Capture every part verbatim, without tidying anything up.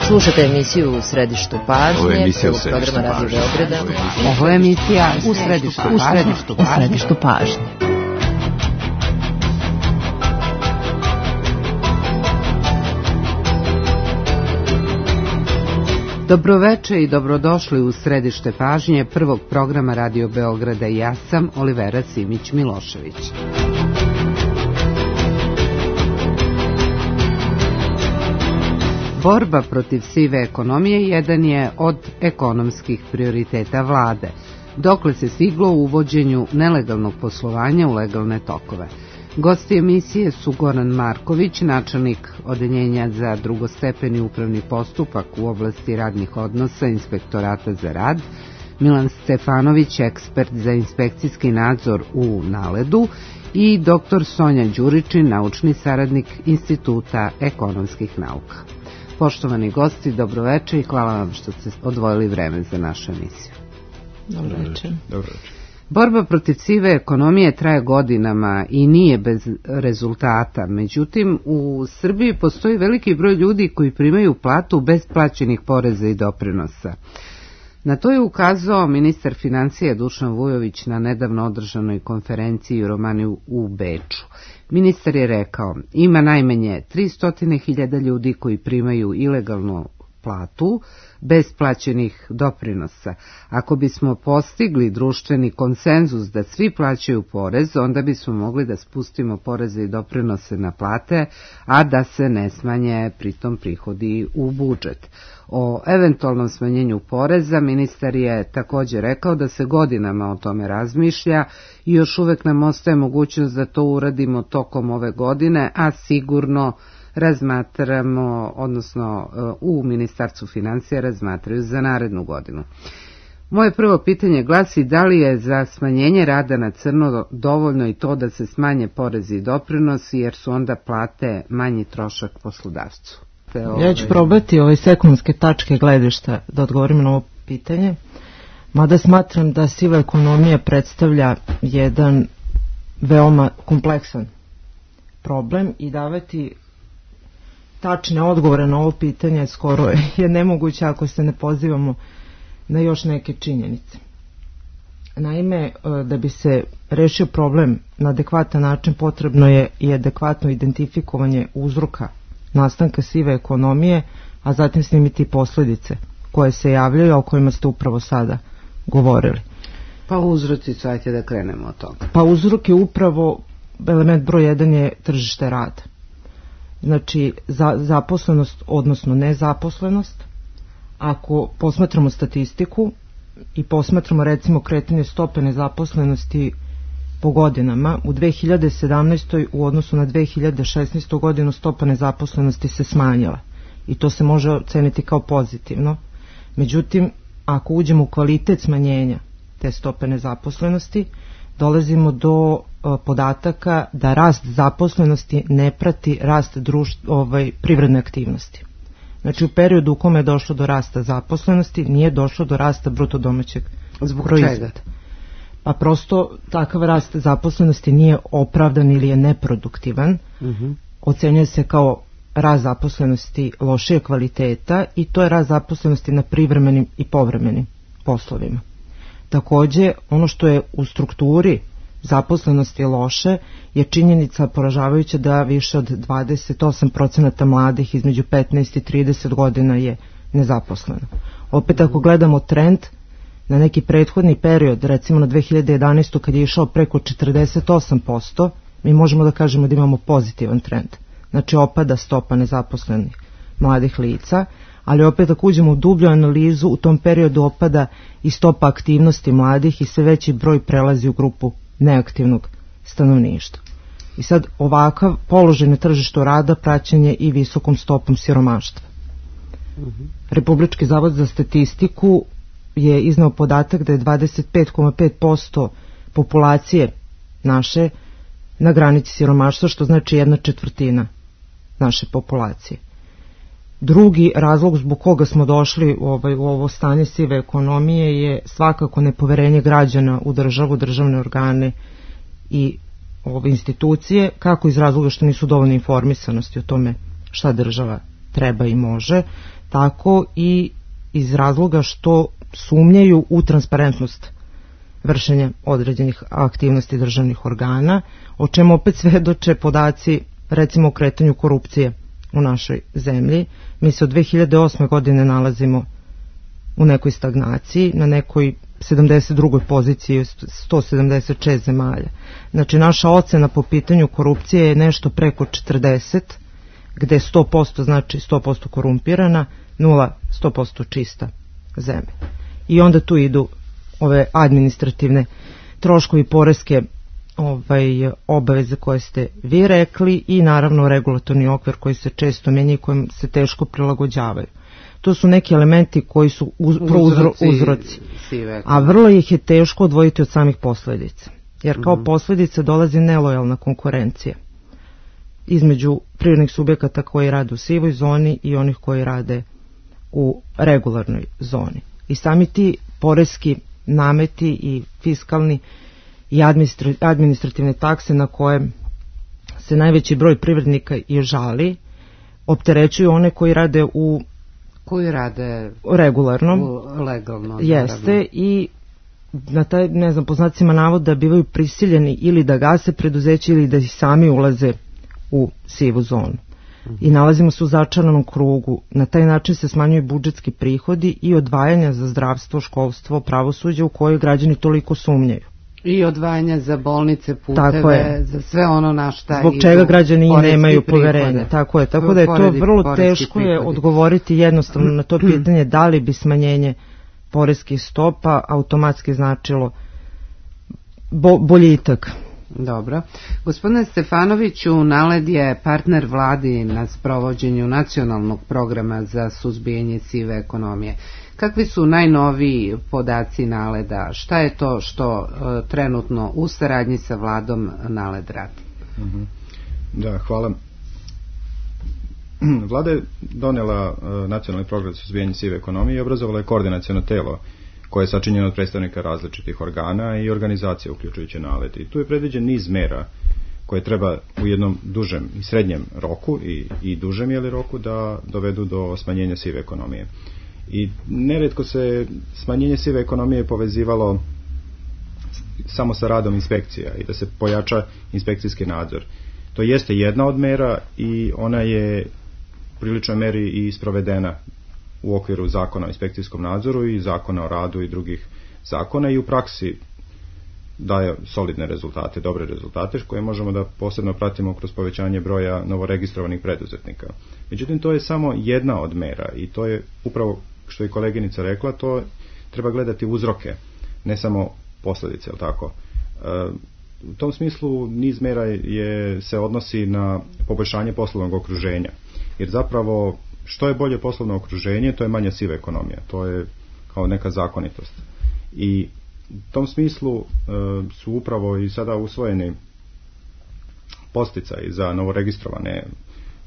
Slušate emisiju U središtu pažnje, Ovo je emisija U programa središtu Radio pažnje. Beograda. Ovo je emisija U središtu U središtu pažnje. U središtu pažnje. Dobroveče i dobrodošli u središte pažnje prvog programa Radio Beograda. Ja sam Olivera Simić-Milošević. Borba protiv sive ekonomije jedan je od ekonomskih prioriteta vlade, dokle se stiglo u uvođenju nelegalnog poslovanja u legalne tokove. Gosti emisije su Goran Marković, načelnik Odeljenja za drugostepeni upravni postupak u oblasti radnih odnosa Inspektorata za rad, Milan Stefanović, ekspert za inspekcijski nadzor u Naledu i doktor Sonja Đuričin, naučni saradnik Instituta ekonomskih nauka. Poštovani gosti, dobroveče i hvala vam što ste odvojili vreme za našu emisiju. Dobroveče. Dobroveče. Borba protiv sive ekonomije traje godinama i nije bez rezultata. Međutim, u Srbiji postoji veliki broj ljudi koji primaju platu bez plaćenih poreza i doprinosa. Na to je ukazao ministar financija Dušan Vujović na nedavno održanoj konferenciji u Romaniju u Beču. Ministar je rekao, ima najmanje tristo hiljada ljudi koji primaju ilegalnu platu bez plaćenih doprinosa. Ako bismo postigli društveni konsenzus da svi plaćaju porez, onda bismo mogli da spustimo poreze i doprinose na plate, a da se ne smanje pritom prihodi u budžet. O eventualnom smanjenju poreza ministar je također rekao da se godinama o tome razmišlja i još uvek nam ostaje mogućnost da to uradimo tokom ove godine, a sigurno razmatramo, odnosno u Ministarstvu financija razmatraju za narednu godinu. Moje prvo pitanje glasi da li je za smanjenje rada na crno dovoljno i to da se smanje porezi i doprinosi, jer su onda plate manji trošak poslodavcu. Ove... Ja ću probati ove sekundarske tačke gledišta da odgovorim na ovo pitanje, mada smatram da siva ekonomija predstavlja jedan veoma kompleksan problem i davati tačne odgovore na ovo pitanje skoro je nemoguće ako se ne pozivamo na još neke činjenice. Naime, da bi se rešio problem na adekvatan način, potrebno je i adekvatno identifikovanje uzroka nastanka sive ekonomije, a zatim snimiti posljedice koje se javljaju, a o kojima ste upravo sada govorili. Pa uzroci, ajte da krenemo od toga. Pa uzrok je upravo, element broj jedan je tržište rada. Znači, za, zaposlenost, odnosno nezaposlenost. Ako posmatramo statistiku i posmatramo recimo kretanje stope nezaposlenosti po godinama, u dve hiljade sedamnaestoj. u odnosu na dve hiljade šesnaestu. godinu stopa nezaposlenosti se smanjila i to se može oceniti kao pozitivno. Međutim, ako uđemo u kvalitet smanjenja te stope nezaposlenosti, dolazimo do podataka da rast zaposlenosti ne prati rast društv, ovaj, privredne aktivnosti. Znači u periodu u kome je došlo do rasta zaposlenosti nije došlo do rasta bruto domaćeg proizvoda. Pa prosto takav rast zaposlenosti nije opravdan ili je neproduktivan. Uh-huh. Ocenjuje se kao rast zaposlenosti lošije kvaliteta i to je rast zaposlenosti na privremenim i povremenim poslovima. Takođe, ono što je u strukturi zaposlenosti loše je činjenica poražavajuća da više od dvadeset osam procenata mladih između petnaest i trideset godina je nezaposleno. Opet ako gledamo trend na neki prethodni period, recimo na dve hiljade jedanaestu. kad je išao preko četrdeset osam posto, mi možemo da kažemo da imamo pozitivan trend. Znači opada stopa nezaposlenih mladih lica, ali opet ako uđemo u dublju analizu, u tom periodu opada i stopa aktivnosti mladih i sve veći broj prelazi u grupu neaktivnog stanovništva. I sad ovakav položaj na tržištu rada praćen je i visokom stopom siromaštva. Uh-huh. Republički zavod za statistiku je izneo podatak da je dvadeset pet zarez pet posto populacije naše na granici siromaštva, što znači jedna četvrtina naše populacije. Drugi razlog zbog koga smo došli u, ovaj, u ovo stanje sive ekonomije je svakako nepoverenje građana u državu, državne organe i ove institucije, kako iz razloga što nisu dovoljno informisanosti o tome šta država treba i može, tako i iz razloga što sumnjaju u transparentnost vršenja određenih aktivnosti državnih organa, o čemu opet svedoče podaci recimo o kretanju korupcije u našoj zemlji. Mi se od dve hiljade osme godine nalazimo u nekoj stagnaciji, na nekoj sedamdeset drugoj poziciji sto sedamdeset šest zemalja. Znači naša ocena po pitanju korupcije je nešto preko četrdeset, gde sto posto znači sto posto korumpirana, nula sto posto čista zemlja. I onda tu idu ove administrativne troškovi, poreske ovaj, obaveze koje ste vi rekli i naravno regulatorni okvir koji se često menja i kojim se teško prilagođavaju. To su neki elementi koji su uz, uzroci, uzroci. A vrlo ih je teško odvojiti od samih posledica. Jer kao mm-hmm. posljedica dolazi nelojalna konkurencija između privrednih subjekata koji rade u sivoj zoni i onih koji rade u regularnoj zoni. I sami ti poreski nameti i fiskalni i administrativne takse na koje se najveći broj privrednika i žali opterećuju one koji rade u koji rade regularnom, u legalno, jeste naravno. I na taj, ne znam, po znacima navoda bivaju prisiljeni ili da gase preduzeće ili da ih sami ulaze u sivu zonu. I nalazimo se u začaranom krugu. Na taj način se smanjuju budžetski prihodi i odvajanja za zdravstvo, školstvo, pravosuđe u koje građani toliko sumnjaju. I odvajanja za bolnice, puteve, za sve ono na šta zbog čega građani nemaju poverenja. Tako je, tako da je to vrlo teško je odgovoriti jednostavno na to pitanje da li bi smanjenje poreskih stopa automatski značilo bo, boljitak. Dobro. Gospodine Stefanoviću, NALED je partner vladi na sprovođenju nacionalnog programa za suzbijanje sive ekonomije. Kakvi su najnoviji podaci NALED-a? Šta je to što uh, trenutno u saradnji sa vladom NALED radi? Mm-hmm. Da, hvala. Vlada je donela uh, nacionalni program za suzbijanje sive ekonomije i obrazovala je koordinaciono telo koje je sačinjeno od predstavnika različitih organa i organizacija uključujući NALED. I tu je predviđen niz mera koje treba u jednom dužem i srednjem roku i, i dužem jeli roku da dovedu do smanjenja sive ekonomije. I nerijetko se smanjenje sive ekonomije povezivalo samo sa radom inspekcija i da se pojača inspekcijski nadzor. To jeste jedna od mera i ona je u priličnoj meri i sprovedena u okviru zakona o inspekcijskom nadzoru i zakona o radu i drugih zakona i u praksi daje solidne rezultate, dobre rezultate koje možemo da posebno pratimo kroz povećanje broja novoregistrovanih preduzetnika. Međutim, to je samo jedna od mera i to je upravo što je koleginica rekla, to treba gledati uzroke, ne samo posljedice, jel tako? E, u tom smislu niz mera je, se odnosi na poboljšanje poslovnog okruženja, jer zapravo što je bolje poslovno okruženje, to je manja siva ekonomija, to je kao neka zakonitost. I u tom smislu e, su upravo i sada usvojeni posticaji za novoregistrovane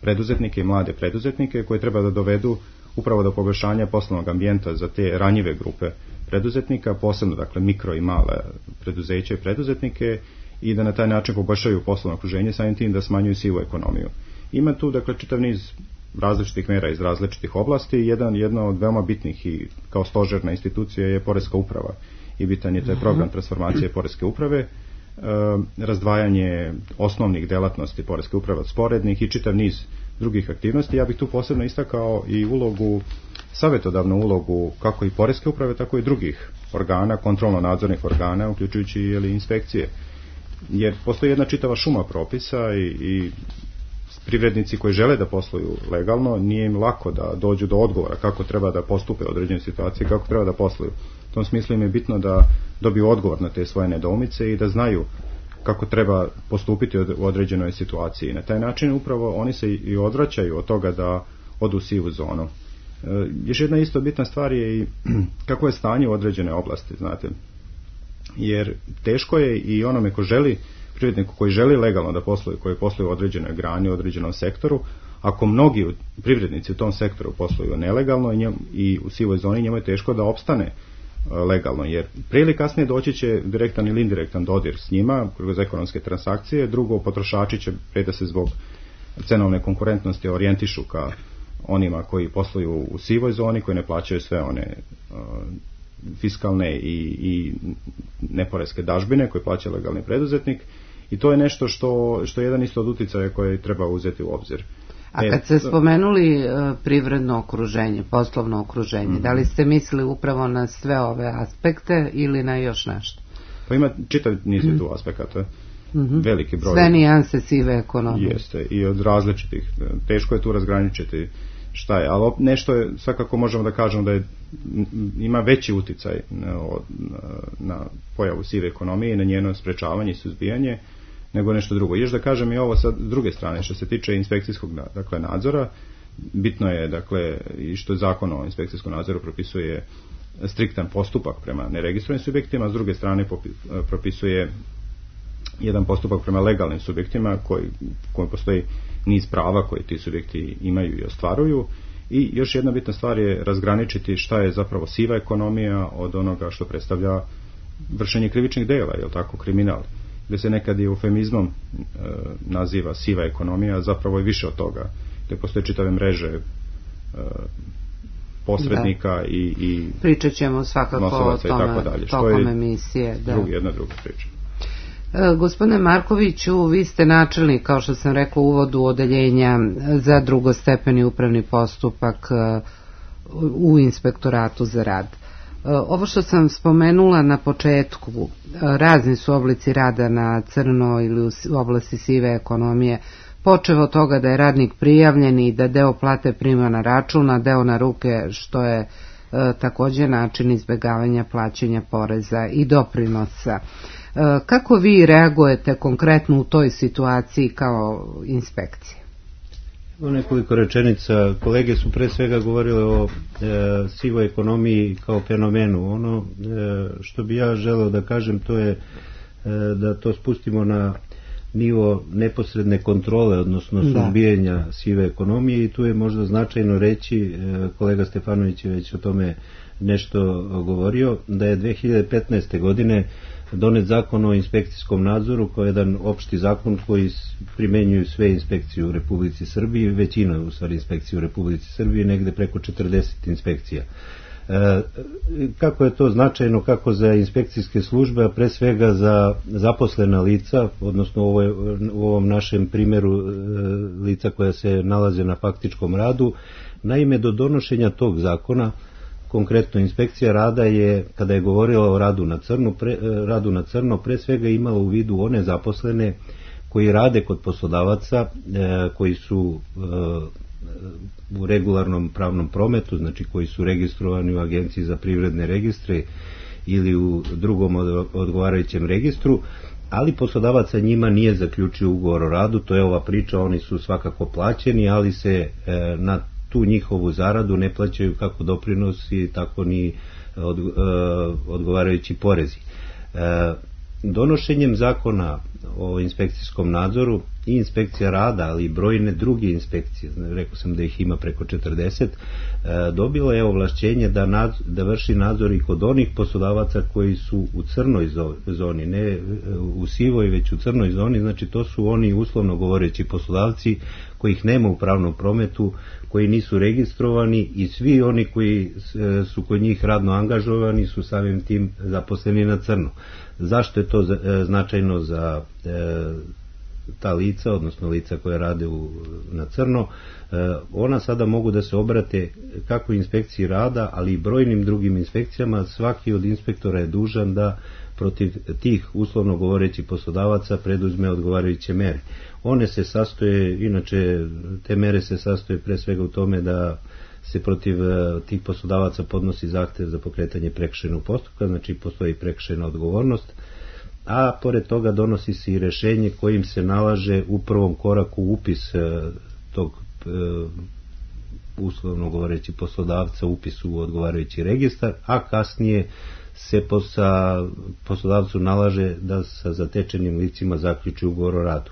preduzetnike i mlade preduzetnike koje treba da dovedu upravo do poboljšanja poslovnog ambijenta za te ranjive grupe preduzetnika, posebno dakle mikro i male preduzeće i preduzetnike i da na taj način poboljšaju poslovno okruženje, samim tim da smanjuju sivu ekonomiju. Ima tu dakle čitav niz različitih mera iz različitih oblasti. Jedan, jedna od veoma bitnih i kao stožerna institucija je Poreska uprava i bitan je taj program transformacije Poreske uprave, e, razdvajanje osnovnih delatnosti Poreske uprave od sporednih i čitav niz drugih aktivnosti. Ja bih tu posebno istakao i ulogu, savjetodavnu ulogu kako i Poreske uprave, tako i drugih organa, kontrolno-nadzornih organa, uključujući ili inspekcije. Jer postoji jedna čitava šuma propisa i, i privrednici koji žele da posluju legalno, nije im lako da dođu do odgovora kako treba da postupe u određenoj situaciji, kako treba da posluju. U tom smislu im je bitno da dobiju odgovor na te svoje nedoumice i da znaju kako treba postupiti u određenoj situaciji. Na taj način upravo oni se i odvraćaju od toga da odu u sivu zonu. E, još jedna isto bitna stvar je i kako je stanje u određene oblasti, znate. Jer teško je i onome ko želi, privredniku koji želi legalno da posluje, koji posluje u određenoj grani, u određenom sektoru, ako mnogi privrednici u tom sektoru posluju nelegalno i, njem, i u sivoj zoni, njemu je teško da opstane legalno, jer prije ili kasnije doći će direktan ili indirektan dodir s njima kroz ekonomske transakcije. Drugo, potrošači će pre da se zbog cenovne konkurentnosti orijentišu ka onima koji posluju u sivoj zoni, koji ne plaćaju sve one uh, fiskalne i, i neporeske dažbine koje plaća legalni preduzetnik, i to je nešto što, što je jedan isto od uticaja koje treba uzeti u obzir. A kad ste spomenuli uh, privredno okruženje, poslovno okruženje, mm-hmm. da li ste mislili upravo na sve ove aspekte ili na još nešto? Pa ima čitav niz mm-hmm. tu aspekata, mm-hmm. veliki broj. Sve nijanse sive ekonomije. Jeste, i od različitih. Teško je tu razgraničiti šta je, ali nešto je, svakako možemo da kažemo da je, ima veći uticaj na, na pojavu sive ekonomije i na njeno sprečavanje i suzbijanje nego nešto drugo. Još da kažem i ovo sa druge strane, što se tiče inspekcijskog, dakle, nadzora, bitno je, dakle, i što Zakon o inspekcijskom nadzoru propisuje striktan postupak prema neregistrovanim subjektima, s druge strane propisuje jedan postupak prema legalnim subjektima koji, koji postoji niz prava koje ti subjekti imaju i ostvaruju. I još jedna bitna stvar je razgraničiti šta je zapravo siva ekonomija od onoga što predstavlja vršenje krivičnih dela, je li tako, kriminal, gdje se nekad i eufemizmom e, naziva siva ekonomija, zapravo je više od toga, gdje postoje čitave mreže e, posrednika da. i, i pričat ćemo svakako o tome tokom emisije. Da. Drugi, jedna druga priča. E, gospodine Markoviću, vi ste načelnik, kao što sam rekla u uvodu, odeljenja za drugostepeni upravni postupak e, u Inspektoratu za rad. Ovo što sam spomenula na početku, razni su oblici rada na crno ili u oblasti sive ekonomije, počev od toga da je radnik prijavljen i da deo plate prima na račun, a deo na ruke, što je e, također način izbjegavanja plaćanja poreza i doprinosa. E, kako vi reagujete konkretno u toj situaciji kao inspekcija? Nekoliko rečenica. Kolege su pre svega govorile o e, sivoj ekonomiji kao fenomenu. Ono e, što bi ja želeo da kažem, to je e, da to spustimo na nivo neposredne kontrole, odnosno suzbijanja sive ekonomije, i tu je možda značajno reći, e, kolega Stefanović je već o tome nešto govorio, da je dve hiljade petnaeste. godine donet zakon o inspekcijskom nadzoru kao jedan opšti zakon koji primenjuju sve inspekcije u Republici Srbiji, većina u stvari inspekcije u Republici Srbiji, negde preko četrdeset inspekcija. E, kako je to značajno, kako za inspekcijske službe, a pre svega za zaposlena lica, odnosno u, ovoj, u ovom našem primjeru e, lica koja se nalaze na faktičkom radu. Naime, do donošenja tog zakona, konkretno inspekcija rada je, kada je govorila o radu na crno, pre, radu na crno, pre svega imala u vidu one zaposlene koji rade kod poslodavaca, e, koji su e, u regularnom pravnom prometu, znači koji su registrovani u Agenciji za privredne registre ili u drugom odgovarajućem registru, ali poslodavac sa njima nije zaključio ugovor o radu. To je ova priča, oni su svakako plaćeni, ali se e, na tu njihovu zaradu ne plaćaju kako doprinosi, tako ni od, e, odgovarajući porezi. E, donošenjem zakona o inspekcijskom nadzoru i inspekcija rada, ali i brojne druge inspekcije, rekao sam da ih ima preko četrdeset, e, dobila je ovlašćenje da, nadzor, da vrši nadzor i kod onih poslodavaca koji su u crnoj zoni, ne u sivoj, već u crnoj zoni. Znači to su oni, uslovno govoreći, poslodavci kojih nema u pravnom prometu, koji nisu registrovani, i svi oni koji su kod njih radno angažovani su samim tim zaposleni na crno. Zašto je to značajno za e, ta lica, odnosno lica koja rade u, na crno? E, ona sada mogu da se obrate kako inspekciji rada, ali i brojnim drugim inspekcijama. Svaki od inspektora je dužan da protiv tih, uslovno govoreći, poslodavaca preduzme odgovarajuće mere. One se sastoje, inače te mere se sastoje pre svega u tome da se protiv tih poslodavaca podnosi zahtev za pokretanje prekršajnog postupka, znači postoji prekršajna odgovornost, a pored toga donosi se i rješenje kojim se nalaže u prvom koraku upis tog uslovno govoreći poslodavca, upis u odgovarajući registar, a kasnije se posa, poslodavcu nalaže da sa zatečenim licima zaključi ugovor o radu.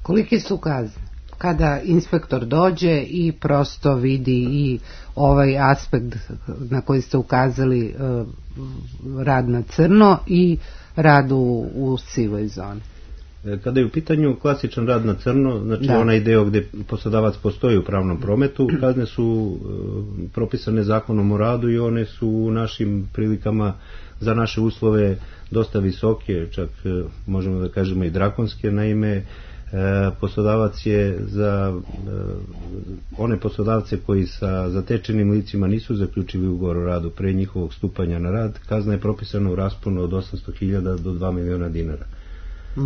Koliki su kazne kada inspektor dođe i prosto vidi i ovaj aspekt na koji ste ukazali, rad na crno i rad u, u sivoj zoni? Kada je u pitanju klasičan rad na crno, znači da. onaj deo gde poslodavac postoji u pravnom prometu, kazne su e, propisane zakonom o radu i one su u našim prilikama za naše uslove dosta visoke, čak e, možemo da kažemo i drakonske. Naime, e, poslodavac je za e, one poslodavce koji sa zatečenim licima nisu zaključili ugovor o radu pre njihovog stupanja na rad, kazna je propisana u rasponu od osamsto hiljada do dva miliona dinara.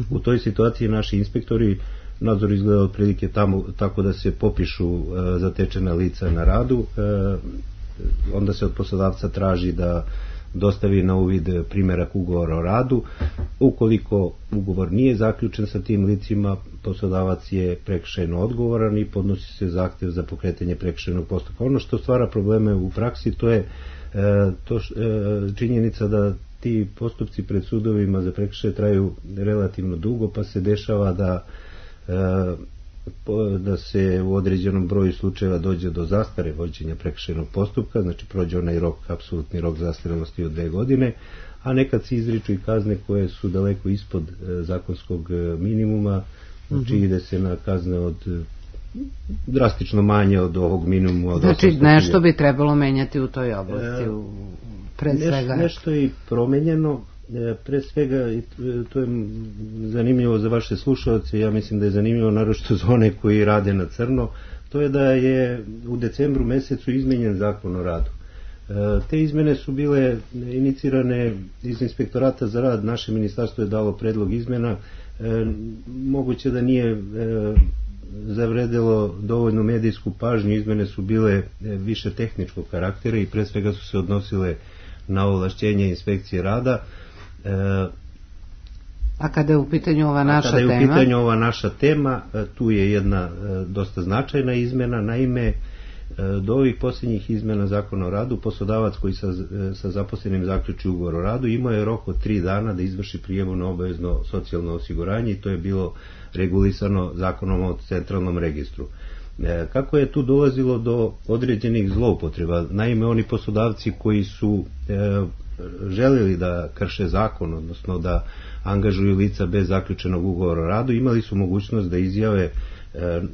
U toj situaciji naši inspektori, nadzor izgleda otprilike tamo tako da se popišu e, zatečena lica na radu, e, onda se od poslodavca traži da dostavi na uvid primjerak ugovora o radu. Ukoliko ugovor nije zaključen sa tim licima, poslodavac je prekršajno odgovoran i podnosi se zahtev za pokretanje prekršajnog postupka. Ono što stvara probleme u praksi, to je e, to š, e, činjenica da ti postupci pred sudovima za prekršaje traju relativno dugo, pa se dešava da da se u određenom broju slučajeva dođe do zastare vođenja prekršajnog postupka, znači prođe onaj rok, apsolutni rok zastarelosti od dve godine, a nekad se izriču i kazne koje su daleko ispod zakonskog minimuma, znači ide se na kazne od drastično manje od ovog minimuma. Od znači nešto bi trebalo menjati u toj oblasti, e, pre svega. Nešto je i promenjeno, pre svega, to je zanimljivo za vaše slušalce, ja mislim da je zanimljivo naročito za one koji rade na crno, to je da je u decembru mesecu izmenjen zakon o radu. Te izmene su bile inicirane iz Inspektorata za rad, naše ministarstvo je dalo predlog izmena, moguće da nije zavredelo dovoljnu medijsku pažnju, izmene su bile više tehničkog karaktera i pre svega su se odnosile na ovlašćenje inspekcije rada. A kada je u pitanju ova naša tema? Kada je u pitanju ova naša tema, tu je jedna dosta značajna izmena. Naime, do ovih posljednjih izmena zakona o radu, poslodavac koji sa, sa zaposlenim zaključi ugovor o radu imao je rok od tri dana da izvrši prijavu na obavezno socijalno osiguranje i to je bilo regulisano zakonom o centralnom registru. Kako je tu dolazilo do određenih zloupotreba? Naime, oni poslodavci koji su e, željeli da krše zakon, odnosno da angažuju lica bez zaključenog ugovora o radu, imali su mogućnost da izjave e,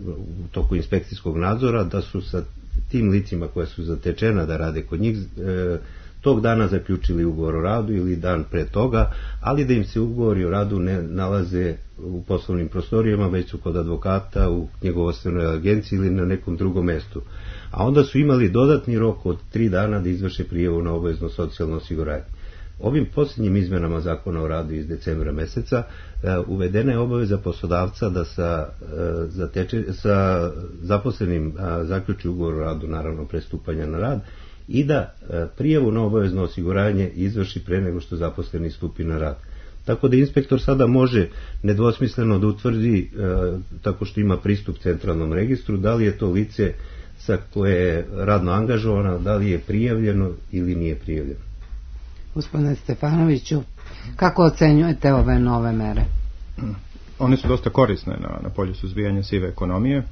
u toku inspekcijskog nadzora da su sa tim licima koja su zatečena da rade kod njih e, tog dana zaključili ugovor o radu ili dan pre toga, ali da im se ugovori o radu ne nalaze u poslovnim prostorijama, već su kod advokata, u knjigovodstvenoj agenciji ili na nekom drugom mestu. A onda su imali dodatni rok od tri dana da izvrše prijavu na obavezno socijalno osiguranje. Ovim posljednjim izmenama zakona o radu iz decembra meseca uvedena je obaveza poslodavca da sa, zateče, sa zaposlenim zaključi ugovor o radu, naravno pre stupanja na rad, i da prijavu na obavezno osiguranje izvrši pre nego što zaposleni stupi na rad. Tako da inspektor sada može nedvosmisleno da utvrdi, e, tako što ima pristup centralnom registru, da li je to lice sa koje je radno angažovano, da li je prijavljeno ili nije prijavljeno. Gospodine Stefanoviću, kako ocenjujete ove nove mere? One su dosta korisne na, na polju suzbijanja sive ekonomije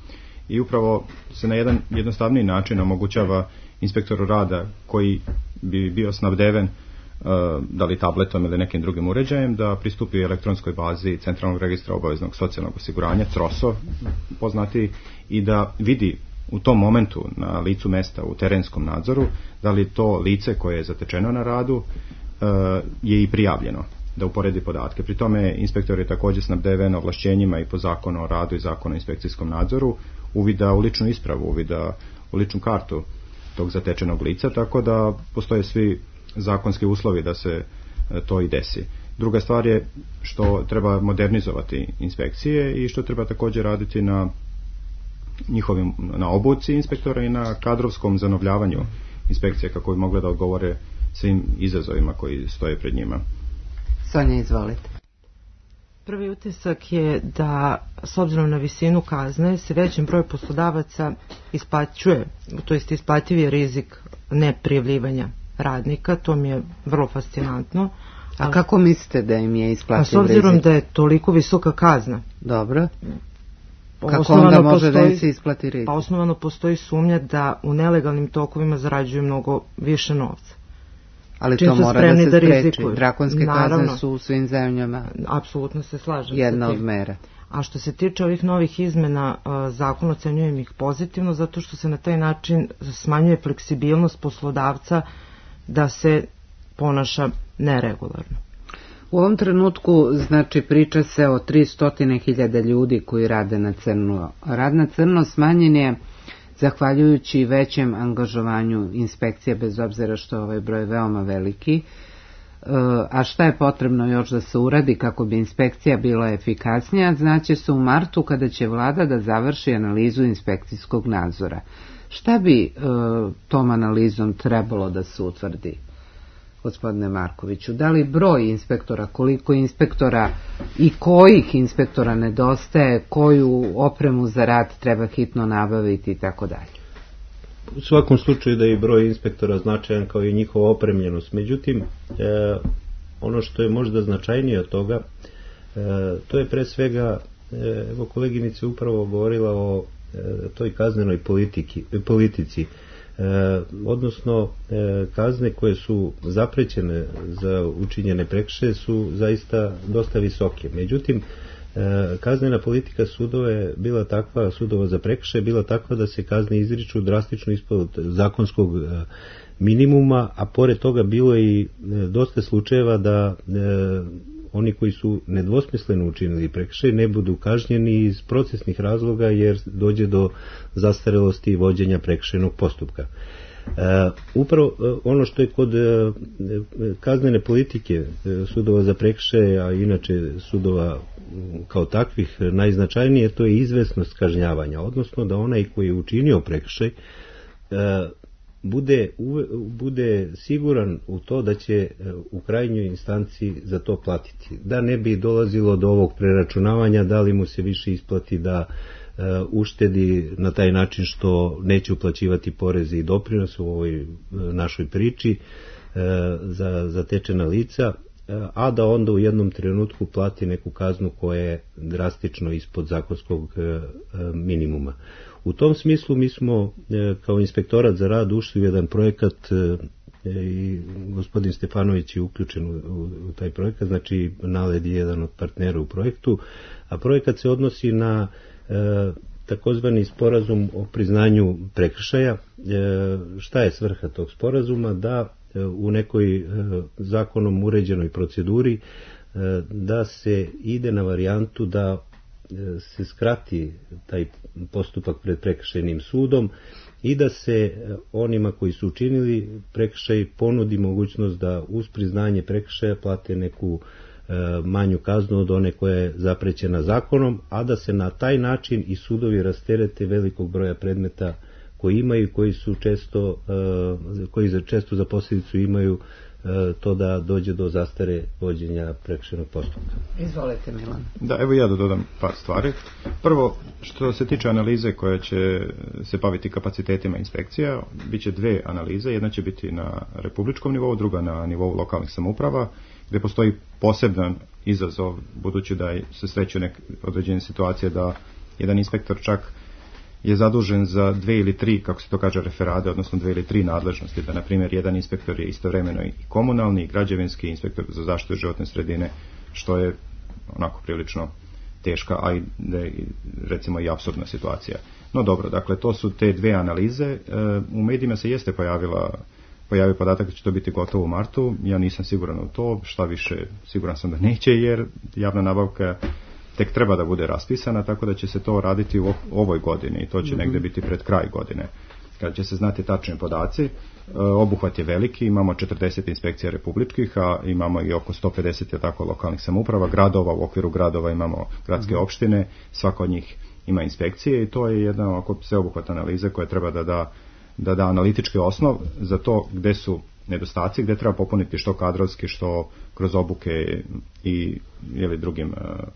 i upravo se na jedan jednostavniji način omogućava inspektoru rada koji bi bio snabdeven da li tabletom ili nekim drugim uređajem da pristupi elektronskoj bazi centralnog registra obaveznog socijalnog osiguranja troso poznati i da vidi u tom momentu na licu mesta u terenskom nadzoru da li to lice koje je zatečeno na radu je i prijavljeno, da uporedi podatke. Pri tome inspektor je također snabdeven ovlašćenjima i po zakonu o radu i zakonu o inspekcijskom nadzoru uvida u ličnu ispravu, uvida u ličnu kartu tog zatečenog lica, tako da postoje svi zakonski uslovi da se to i desi. Druga stvar je što treba modernizovati inspekcije i što treba također raditi na njihovim, na obuci inspektora i na kadrovskom zanovljavanju inspekcije kako bi mogle da odgovore svim izazovima koji stoje pred njima. Sonja, izvolite. Prvi utisak je da s obzirom na visinu kazne se većem broju poslodavaca isplaćuje, to jest isplativ je rizik neprijavljivanja radnika, to mi je vrlo fascinantno. A kako mislite da im je isplativ rizik? A s obzirom rizik? Da je toliko visoka kazna. Dobro. Kako onda može postoji, da im se isplati rizik? Pa osnovano postoji sumnja da u nelegalnim tokovima zarađuju mnogo više novca. Ali čim to su mora spremni da se da spreči. rizikuju. Drakonske Naravno. kazne su u svim zemljama. Apsolutno se slažem. Jedna od mera. A što se tiče ovih novih izmena, zakon ocenjujem ih pozitivno zato što se na taj način smanjuje fleksibilnost poslodavca da se ponaša neregularno. U ovom trenutku, znači, priča se o tristo hiljada ljudi koji rade na crno. Rad na crno smanjen je zahvaljujući većem angažovanju inspekcije, bez obzira što je ovaj broj veoma veliki. A šta je potrebno još da se uradi kako bi inspekcija bila efikasnija, znaće se u martu kada će vlada da završi analizu inspekcijskog nadzora. Šta bi e, tom analizom trebalo da se utvrdi, gospodine Markoviću? Da li broj inspektora, koliko inspektora i kojih inspektora nedostaje, koju opremu za rad treba hitno nabaviti i tako dalje? U svakom slučaju da je broj inspektora značajan kao i njihova opremljenost. Međutim, e, ono što je možda značajnije od toga, e, to je pre svega, e, evo koleginica upravo govorila o e, toj kaznenoj politiki, politici, e, odnosno e, kazne koje su zaprećene za učinjene prekršaje su zaista dosta visoke. Međutim, kaznena politika sudova je bila takva, sudova za prekršaje bila takva da se kazne izriču drastično ispod zakonskog minimuma, a pored toga bilo je i dosta slučajeva da e, oni koji su nedvosmisleno učinili prekršaj ne budu kažnjeni iz procesnih razloga jer dođe do zastarelosti vođenja prekršajnog postupka. Uh, upravo uh, ono što je kod uh, kaznene politike uh, sudova za prekršaje, a inače sudova um, kao takvih uh, najznačajnije, to je izvesnost kažnjavanja, odnosno da onaj koji je učinio prekršaj uh, bude, uve, bude siguran u to da će uh, u krajnjoj instanci za to platiti, da ne bi dolazilo do ovog preračunavanja, da li mu se više isplati da uštedi na taj način što neće uplaćivati poreze i doprinose u ovoj našoj priči za zatečena lica, a da onda u jednom trenutku plati neku kaznu koja je drastično ispod zakonskog minimuma. U tom smislu mi smo kao inspektorat za rad ušli u jedan projekat i gospodin Stefanović je uključen u, u, u taj projekat, znači NALED je jedan od partnera u projektu, a projekat se odnosi na E, takozvani sporazum o priznanju prekršaja. E, šta je svrha tog sporazuma? Da e, u nekoj e, zakonom uređenoj proceduri e, da se ide na varijantu da e, se skrati taj postupak pred prekršajnim sudom i da se e, onima koji su učinili prekršaj ponudi mogućnost da uz priznanje prekršaja plate neku manju kaznu od one koja je zaprećena zakonom, a da se na taj način i sudovi rasterete velikog broja predmeta koji imaju, koji su često, koji za često za posljedicu imaju to da dođe do zastare vođenja prekršajnog postupka. Izvolite, Milan. Da, evo ja da dodam par stvari. Prvo, što se tiče analize koja će se baviti kapacitetima inspekcija, bit će dve analize, jedna će biti na republičkom nivou, druga na nivou lokalnih samouprava, gdje postoji poseban izazov, budući da se sreću neke određene situacije da jedan inspektor čak je zadužen za dve ili tri, kako se to kaže, referade, odnosno dve ili tri nadležnosti, da na primjer jedan inspektor je istovremeno i komunalni i građevinski inspektor za zaštitu životne sredine, što je onako prilično teška, a i recimo i apsurdna situacija. No dobro, dakle to su te dve analize. U medijima se jeste pojavila pojavio podatak da će to biti gotovo u martu. Ja nisam siguran u to, šta više siguran sam da neće, jer javna nabavka tek treba da bude raspisana, tako da će se to raditi u ovoj godini i to će mm-hmm. negdje biti pred kraj godine. Kad će se znati tačni podaci, obuhvat je veliki, imamo četrdeset inspekcija republičkih, a imamo i oko sto pedeset je tako lokalnih samouprava, gradova, u okviru gradova imamo gradske mm-hmm. opštine, svaka od njih ima inspekcije i to je jedna oko sveobuhvatna analiza koja treba da da da da analitički osnov za to gdje su nedostaci, gdje treba popuniti što kadrovski, što kroz obuke i ili drugim uh,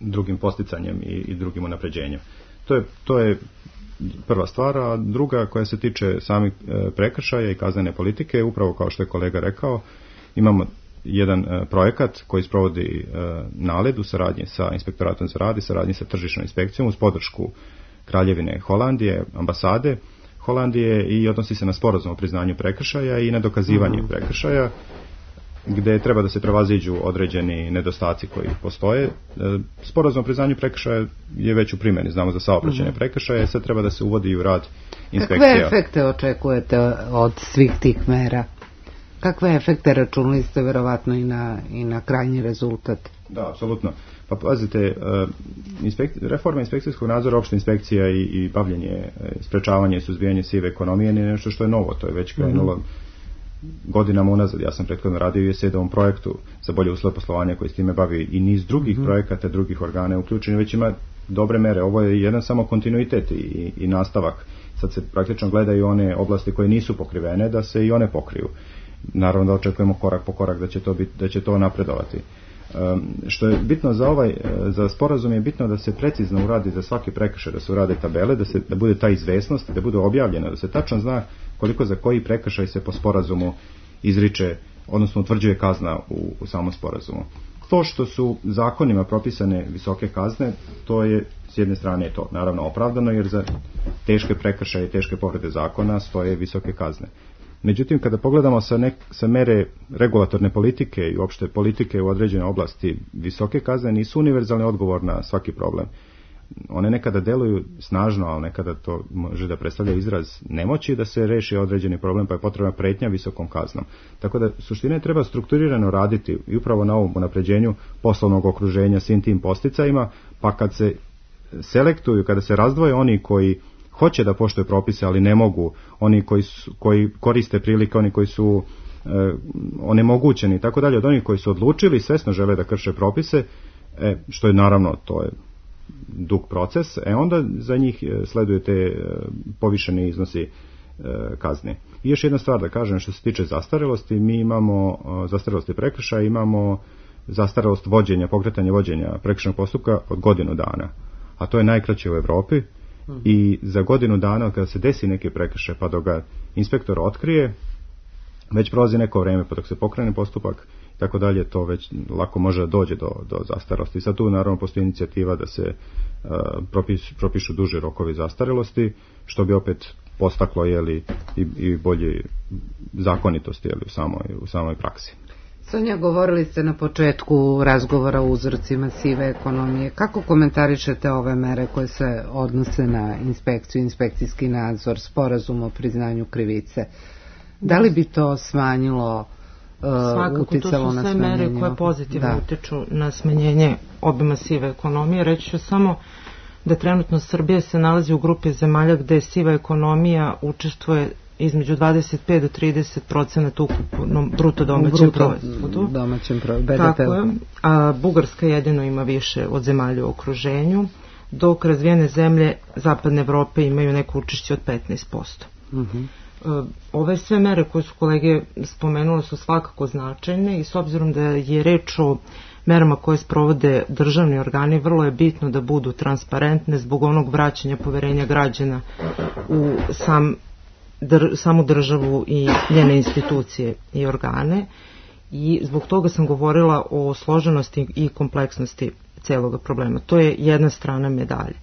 drugim posticanjem i, i drugim unapređenjem. To je, to je prva stvar, a druga koja se tiče samih uh, prekršaja i kaznene politike, upravo kao što je kolega rekao, imamo jedan uh, projekat koji sprovodi uh, NALED u saradnji sa Inspektoratom za rad i saradnji sa tržišnom inspekcijom uz podršku Kraljevine Holandije, ambasade. Holandije i odnosi se na sporazum o priznanju prekršaja i na dokazivanje prekršaja, gde treba da se prevaziđu određeni nedostaci koji postoje. Sporazum o priznanju prekršaja je već u primjeni, znamo za saobraćajne prekršaje, sad treba da se uvodi u rad inspekcija. Kakve efekte očekujete od svih tih mera? Kakve efekte računali ste verovatno i na, i na krajnji rezultat? Da, apsolutno. Pa pazite, inspek, reforma inspekcijskog nadzora, opšta inspekcija i, i bavljenje, sprečavanje i suzbijanje sive ekonomije nije nešto što je novo, to je već krenulo mm-hmm. godinama unazad. Ja sam prethodno radio i u S E D-ovom projektu za bolje uslove poslovanja koji s time bavi i niz drugih mm-hmm. projekata, drugih organa uključeni, već ima dobre mere. Ovo je jedan samo kontinuitet i, i nastavak. Sad se praktično gledaju one oblasti koje nisu pokrivene, da se i one pokriju. Naravno da očekujemo korak po korak da će to, biti, da će to napredovati. Um, što je bitno za ovaj za sporazum je bitno da se precizno uradi za svaki prekršaj, da se urade tabele, da se da bude ta izvesnost, da bude objavljeno, da se tačno zna koliko za koji prekršaj se po sporazumu izriče, odnosno utvrđuje kazna u, u samom sporazumu. To što su zakonima propisane visoke kazne, to je s jedne strane to naravno opravdano, jer za teške prekršaje i teške povrede zakona stoje visoke kazne. Međutim, kada pogledamo sa, nek, sa mere regulatorne politike i uopšte politike u određenoj oblasti, visoke kazne nisu univerzalni odgovor na svaki problem. One nekada deluju snažno, ali nekada to može da predstavlja izraz nemoći da se reši određeni problem, pa je potrebna pretnja visokom kaznom. Tako da suština je treba strukturirano raditi i upravo na ovom unapređenju poslovnog okruženja svim tim posticajima, pa kad se selektuju, kada se razdvoje oni koji hoće da poštuju propise, ali ne mogu, oni koji, su, koji koriste prilike, oni koji su e, onemogućeni i tako dalje, od onih koji su odlučili, svesno žele da krše propise, e, što je naravno, to je dug proces, e onda za njih sleduje te e, povišeni iznosi e, kazni. I još jedna stvar da kažem, što se tiče zastarelosti, mi imamo e, zastarelosti prekršaja, imamo zastarelost vođenja, pokretanja vođenja prekršajnog postupka od godinu dana, a to je najkraće u Evropi. I za godinu dana kada se desi neki prekršaj pa dok ga inspektor otkrije, već prolazi neko vreme pa dok se pokrene postupak i tako dalje, to već lako može da dođe do, do zastarelosti. I sad tu naravno postoji inicijativa da se uh, propis, propišu duži rokovi zastarelosti, što bi opet postaklo jeli, i, i bolje zakonitosti jeli, u, samoj, u samoj praksi. Sonja, govorili ste na početku razgovora o uzrocima sive ekonomije. Kako komentarišete ove mere koje se odnose na inspekciju, inspekcijski nadzor, sporazum o priznanju krivice? Da li bi to smanjilo, uh, uticalo na smanjenje? Svakako, to su sve mere koje pozitivno da. utiču na smanjenje obima sive ekonomije. Reći ću samo da trenutno Srbija se nalazi u grupi zemalja gde siva ekonomija učestvuje između dvadeset pet do trideset procenata ukupnom bruto domaćem proizvodu. Domaćem proizvodu, B D P. Tako je. A Bugarska jedino ima više od zemalja u okruženju, dok razvijene zemlje Zapadne Evrope imaju neko učešće od petnaest posto. Uh-huh. Ove sve mere koje su kolege spomenule su svakako značajne i s obzirom da je reč o merama koje sprovode državni organi, vrlo je bitno da budu transparentne zbog onog vraćanja poverenja građana u sam Dr, samu državu i njene institucije i organe, i zbog toga sam govorila o složenosti i kompleksnosti celoga problema. To je jedna strana medalje.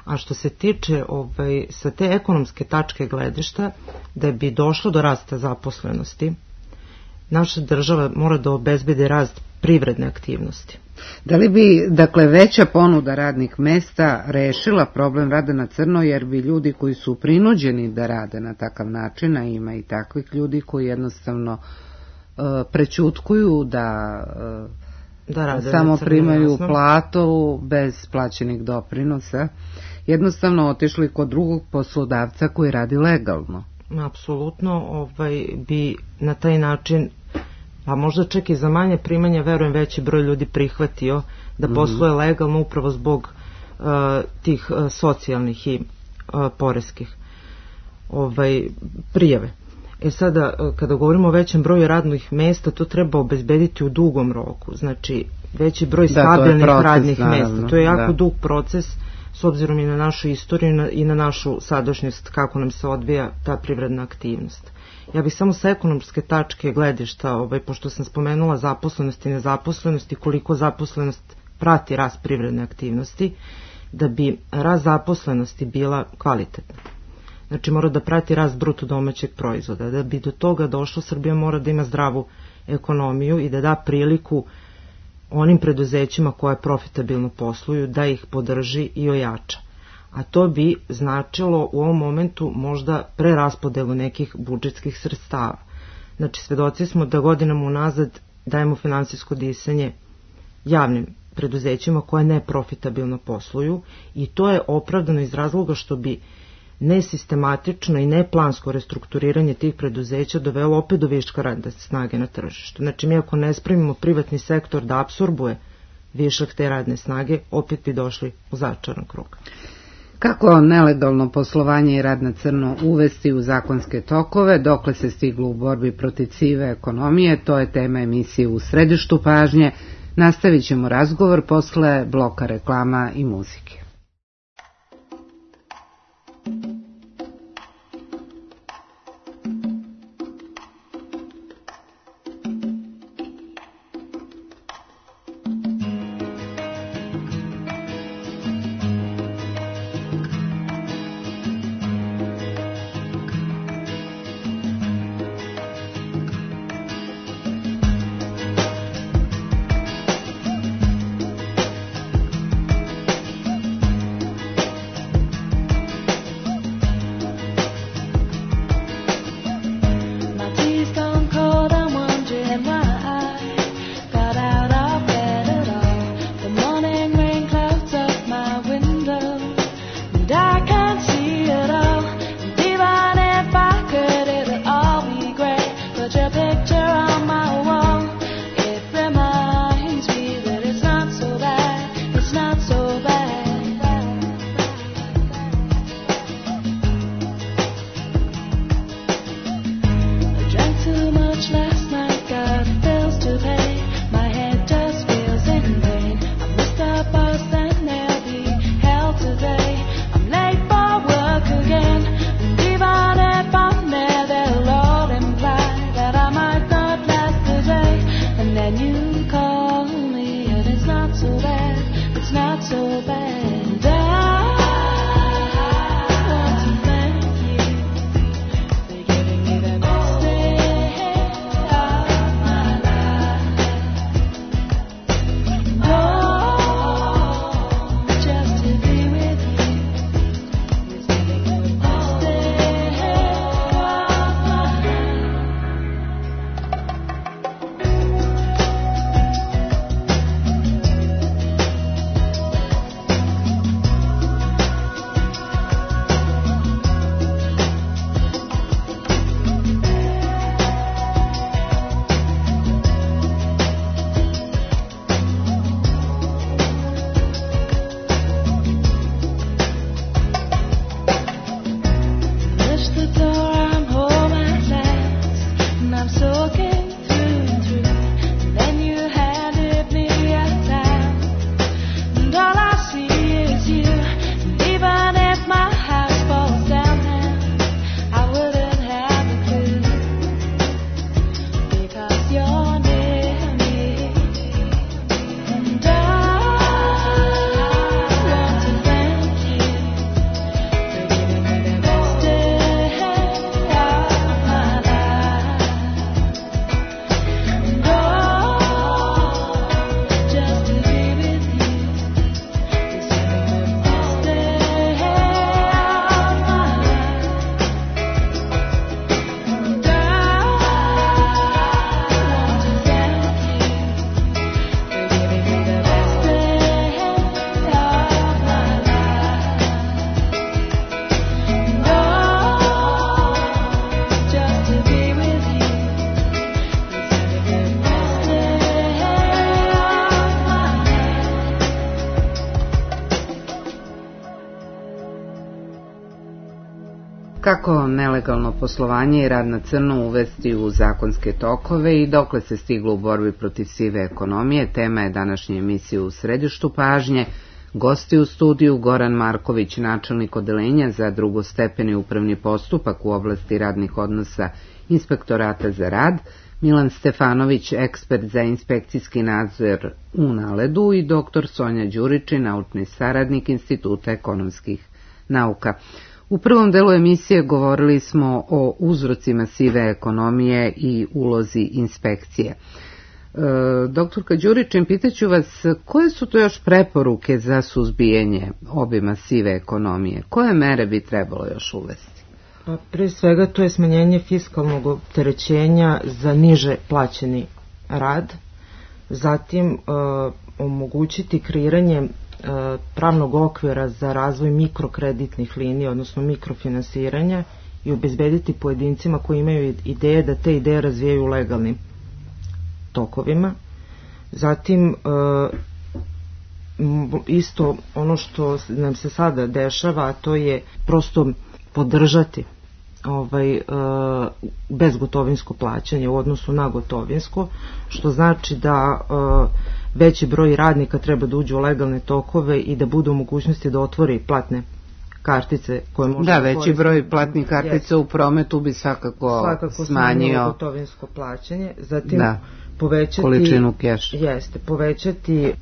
A što se tiče ovaj, sa te ekonomske tačke gledišta, da bi došlo do rasta zaposlenosti, naša država mora da obezbedi rast privredne aktivnosti. Da li bi, dakle, veća ponuda radnih mesta rešila problem rada na crno, jer bi ljudi koji su prinuđeni da rade na takav način, a ima i takvih ljudi koji jednostavno uh, prećutkuju da, uh, da rade samo crno, primaju jasno. Platu bez plaćenih doprinosa, jednostavno otišli kod drugog poslodavca koji radi legalno. Apsolutno, ovaj, bi na taj način, a možda čak i za manje primanja, verujem, veći broj ljudi prihvatio da posluje legalno upravo zbog uh, tih uh, socijalnih i uh, poreskih ovaj, prijave. E sada, uh, kada govorimo o većem broju radnih mesta, to treba obezbediti u dugom roku. Znači, veći broj da, stabilnih proces, radnih naravno, mesta. To je jako da. dug proces, s obzirom i na našu istoriju i na, i na našu sadašnjost, kako nam se odvija ta privredna aktivnost. Ja bih samo sa ekonomske tačke gledišta, ovaj, pošto sam spomenula zaposlenost i nezaposlenost i koliko zaposlenost prati rast privredne aktivnosti, da bi rast zaposlenosti bila kvalitetna. Znači mora da prati rast bruto domaćeg proizvoda. Da bi do toga došlo, Srbija mora da ima zdravu ekonomiju i da da priliku onim preduzećima koje profitabilno posluju, da ih podrži i ojača. A to bi značilo u ovom momentu možda preraspodelu nekih budžetskih sredstava. Znači, svedoci smo da godinama unazad dajemo finansijsko disanje javnim preduzećima koje neprofitabilno posluju i to je opravdano iz razloga što bi nesistematično i neplansko restrukturiranje tih preduzeća dovelo opet do viška radne snage na tržištu. Znači, mi ako ne spremimo privatni sektor da apsorbuje višak te radne snage, opet bi došli u začaran krug. Kako nelegalno poslovanje i rad na crno uvesti u zakonske tokove, dokle se stiglo u borbi protiv sive ekonomije, to je tema emisije U središtu pažnje. Nastavit ćemo razgovor posle bloka reklama i muzike. Kako nelegalno poslovanje i rad na crno uvesti u zakonske tokove i dokle se stiglo u borbi protiv sive ekonomije, tema je današnje emisije U središtu pažnje. Gosti u studiju Goran Marković, načelnik odeljenja za drugostepeni upravni postupak u oblasti radnih odnosa Inspektorata za rad, Milan Stefanović, ekspert za inspekcijski nadzor u Naledu i doktor Sonja Đuričin, naučni saradnik Instituta ekonomskih nauka. U prvom delu emisije govorili smo o uzrocima sive ekonomije i ulozi inspekcije. E, doktorka Đuričin, pitaću vas, koje su to još preporuke za suzbijanje obima sive ekonomije? Koje mere bi trebalo još uvesti? Pa pre svega to je smanjenje fiskalnog opterećenja za niže plaćeni rad, zatim e, omogućiti kreiranje e, pravnog okvira za razvoj mikrokreditnih linija, odnosno mikrofinansiranja i obezbediti pojedincima koji imaju ideje da te ideje razvijaju legalnim tokovima. Zatim e, isto ono što nam se sada dešava, a to je prosto podržati ovaj, e, bezgotovinsko plaćanje u odnosu na gotovinsko, što znači da e, veći broj radnika treba da uđu u legalne tokove i da budu u mogućnosti da otvori platne kartice koje može da, da veći broj platnih kartica yes. u prometu bi svakako, svakako smanjio gotovinsko plaćanje. Zatim da, povećati količinu keša. Jeste, povećati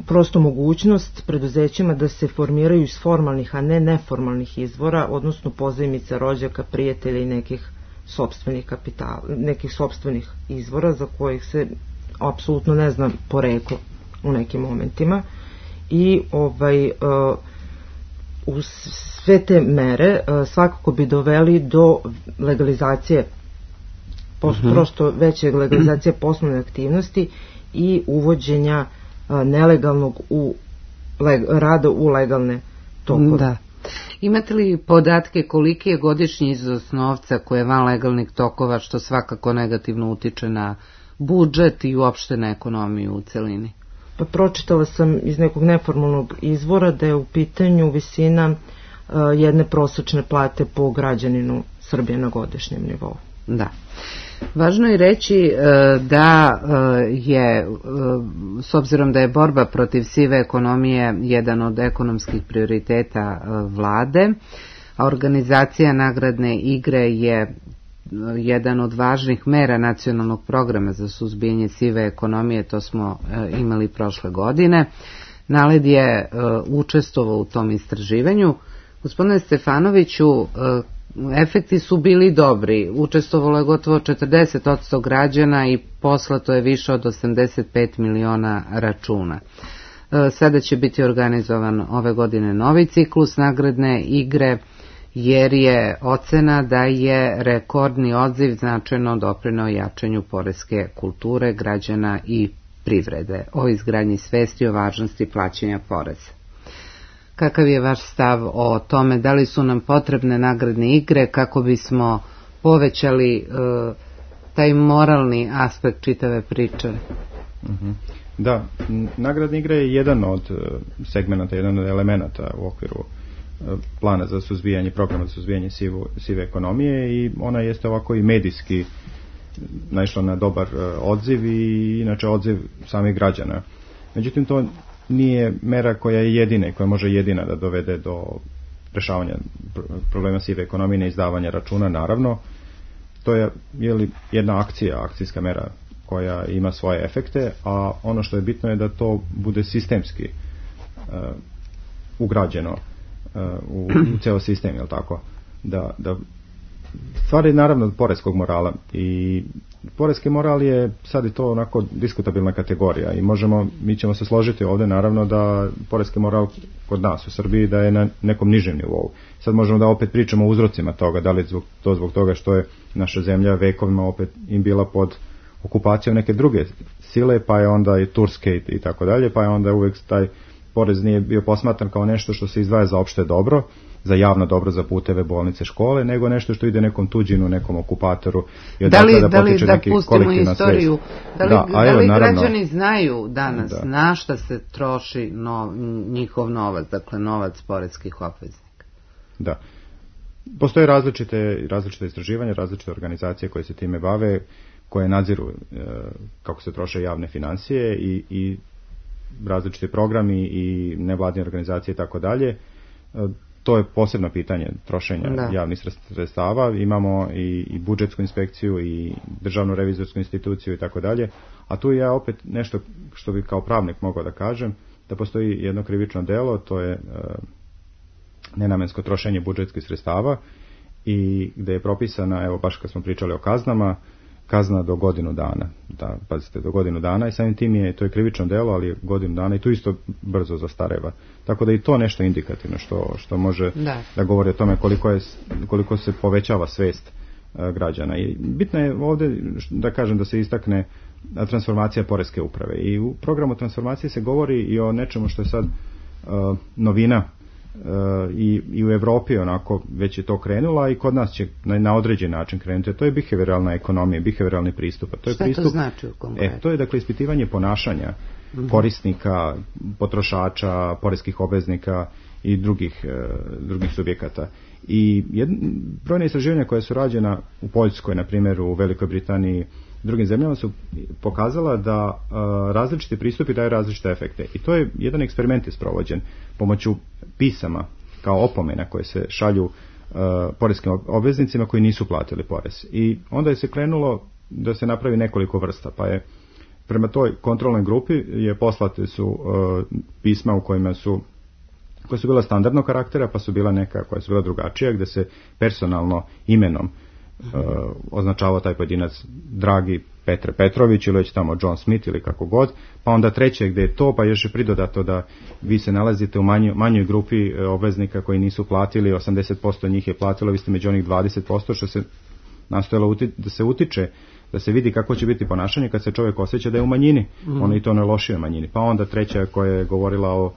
prosto mogućnost preduzećima da se formiraju iz formalnih, a ne neformalnih izvora, odnosno pozajmica, rođaka, prijatelja i nekih sopstvenih kapitala, nekih sopstvenih izvora za kojih se apsolutno ne zna poreklo u nekim momentima. I ovaj uh, u sve te mere uh, svakako bi doveli do legalizacije posto, uh-huh. prosto veće legalizacije poslovne aktivnosti i uvođenja uh, nelegalnog u leg, rada u legalne tokove. Da. Imate li podatke koliki je godišnji iznos novca koje je van legalnih tokova, što svakako negativno utiče na budžet i uopšte na ekonomiju u celini? Pa pročitala sam iz nekog neformalnog izvora da je u pitanju visina uh, jedne prosečne plate po građaninu Srbije na godišnjem nivou. Da. Važno je reći uh, da uh, je, uh, s obzirom da je borba protiv sive ekonomije jedan od ekonomskih prioriteta uh, vlade, a organizacija nagradne igre je jedan od važnih mera nacionalnog programa za suzbijanje sive ekonomije, to smo e, imali prošle godine. NALED je e, učestvovao u tom istraživanju. Gospodine Stefanoviću, e, efekti su bili dobri. Učestvovalo je gotovo četrdeset posto građana i poslato je više od osamdeset pet miliona računa. E, sada će biti organizovan ove godine novi ciklus nagradne igre, jer je ocena da je rekordni odziv značajno doprineo jačanju poreske kulture građana i privrede, o izgradnji svesti o važnosti plaćanja poreza. Kakav je vaš stav o tome, da li su nam potrebne nagradne igre kako bismo povećali e, taj moralni aspekt čitave priče? Mm-hmm. Da, nagradne igre je jedan od segmenata, jedan od elemenata u okviru plana za suzbijanje, programa za suzbijanje sivu, sive ekonomije, i ona jeste ovako i medijski naišla na dobar odziv i inače odziv samih građana. Međutim, to nije mera koja je jedina i koja može jedina da dovede do rešavanja problema sive ekonomije, ne izdavanja računa, naravno. To je, je li, jedna akcija, akcijska mera koja ima svoje efekte, a ono što je bitno je da to bude sistemski uh, ugrađeno u, u ceo sistem, jel tako? Da, da stvari naravno poreskog morala, i poreski moral je sad i to onako diskutabilna kategorija i možemo, mi ćemo se složiti ovde naravno da poreski moral kod nas u Srbiji da je na nekom nižem nivou. Sad možemo da opet pričamo o uzrocima toga, da li je to zbog toga što je naša zemlja vekovima opet im bila pod okupacijom neke druge sile, pa je onda i Turske i tako dalje, pa je onda uvek taj porez nije bio posmatran kao nešto što se izdvaja za opšte dobro, za javno dobro, za puteve, bolnice, škole, nego nešto što ide nekom tuđinu, nekom okupatoru i da li, da, da, li, da pustimo istoriju, da li, da, da li naravno, građani znaju danas da. na šta se troši no, njihov novac, dakle novac poreskih obveznika? Da. Postoje različite, različite istraživanja, različite organizacije koje se time bave, koje nadziru e, kako se troše javne financije i, i različiti programi i nevladine organizacije i tako dalje. To je posebno pitanje trošenja da. javnih sredstava. Imamo i, i budžetsku inspekciju i državnu revizorsku instituciju i tako dalje. A tu ja opet nešto što bi kao pravnik mogao da kažem, da postoji jedno krivično delo, to je uh, nenamensko trošenje budžetskih sredstava i gde je propisana, evo baš kad smo pričali o kaznama, kazna do godinu dana. Da, pazite, do godinu dana i samim tim je, to je krivično delo, ali je godinu dana i tu isto brzo zastareva. Tako da i to nešto indikativno što, što može da. da govori o tome koliko, je, koliko se povećava svest uh, građana. I bitno je ovdje da kažem da se istakne transformacija poreske uprave. I u programu transformacije se govori i o nečemu što je sad uh, novina uh, i, i u Evropi onako već je to krenula i kod nas će na, na određen način krenuti. To je behavioralna ekonomija, behavioralni pristup. To je Šta pristup, to znači u konkretno? E, to je dakle ispitivanje ponašanja mm-hmm. korisnika, potrošača, poreskih obveznika i drugih, uh, drugih subjekata. I jedn, brojne istraživanja koje su rađena u Poljskoj, na primjer u Velikoj Britaniji, drugim zemljama su pokazala da uh, različiti pristupi daju različite efekte. I to je jedan eksperiment isprovođen pomoću pisama kao opomena koje se šalju uh, poreskim obveznicima koji nisu platili porez. I onda je se krenulo da se napravi nekoliko vrsta, pa je prema toj kontrolnoj grupi je poslate su uh, pisma u kojima su koja su bila standardnog karaktera, pa su bila neka koja su bila drugačija, gde se personalno imenom uh, označavao taj pojedinac dragi Petre Petrović ili već tamo John Smith ili kako god, pa onda treće gde je to, pa još je pridodato da vi se nalazite u manjoj, manjoj grupi uh, obveznika koji nisu platili, osamdeset posto njih je platilo, vi ste među onih dvadeset posto, što se nastojalo uti, da se utiče, da se vidi kako će biti ponašanje kad se čovjek osjeća da je u manjini, mm. ono i to ne lošije manjini. Pa onda treća koja je govorila o,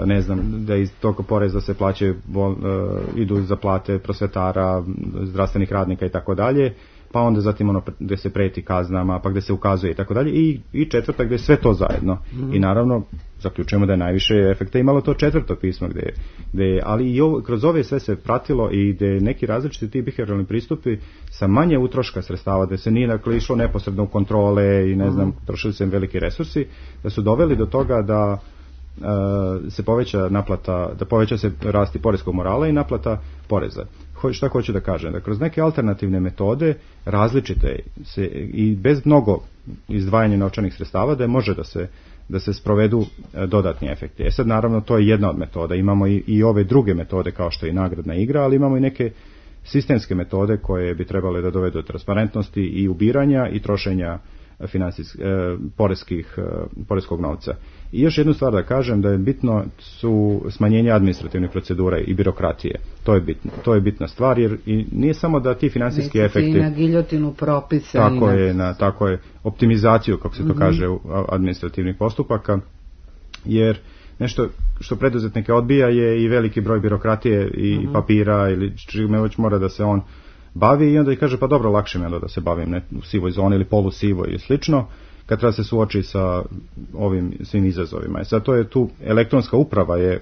ne znam, da iz tog poreza se plaćaju, uh, idu za plate prosvetara, zdravstvenih radnika i tako dalje, pa onda zatim ono gdje se preti kaznama, pa gdje se ukazuje i tako dalje, i, i četvrta gdje je sve to zajedno. Mm. I naravno, zaključujemo da je najviše efekta imalo to četvrto pismo, gdje, gdje ali i ovo, kroz ove sve se pratilo i gdje neki različiti ti behavioralni pristupi sa manje utroška sredstava, da se nije dakle išlo neposredno u kontrole i ne znam, mm. trošili se veliki resursi, da su doveli do toga da Uh, se poveća naplata, da poveća se rasti poreskog morala i naplata poreza. Ho, šta hoću da kažem? Da kroz neke alternativne metode, različite se, i bez mnogo izdvajanja novčanih sredstava, da je može da se, da se sprovedu uh, dodatni efekti. E sad naravno to je jedna od metoda. Imamo i, i ove druge metode kao što je i nagradna igra, ali imamo i neke sistemske metode koje bi trebale da dovedu do transparentnosti i ubiranja i trošenja financijskih, e, poreskih, e, poreskog novca. I još jednu stvar da kažem, da je bitno su smanjenje administrativnih procedura i birokratije. To je bitno. To je bitna stvar, jer i nije samo da ti financijski Neci efekti... na giljotinu propisa. Tako je, na, tako je, optimizaciju, kako se to mm-hmm. kaže, administrativnih postupaka, jer nešto što preduzetnike odbija je i veliki broj birokratije i mm-hmm. papira, ili čime već mora da se on bavi, i onda i kaže pa dobro, lakše mi je da se bavim ne, u sivoj zoni ili polusivoj ili slično, kad treba se suoči sa ovim svim izazovima. I sad to je tu, elektronska uprava je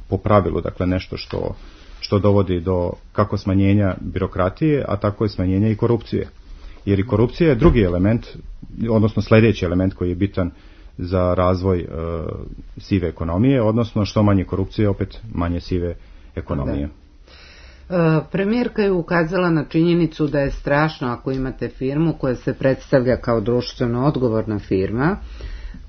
po pravilu dakle nešto što, što dovodi do kako smanjenja birokratije, a tako i smanjenja i korupcije. Jer i korupcija je drugi element, odnosno sljedeći element koji je bitan za razvoj e, sive ekonomije, odnosno što manje korupcije, opet manje sive ekonomije. Da. Premijerka je ukazala na činjenicu da je strašno ako imate firmu koja se predstavlja kao društveno odgovorna firma,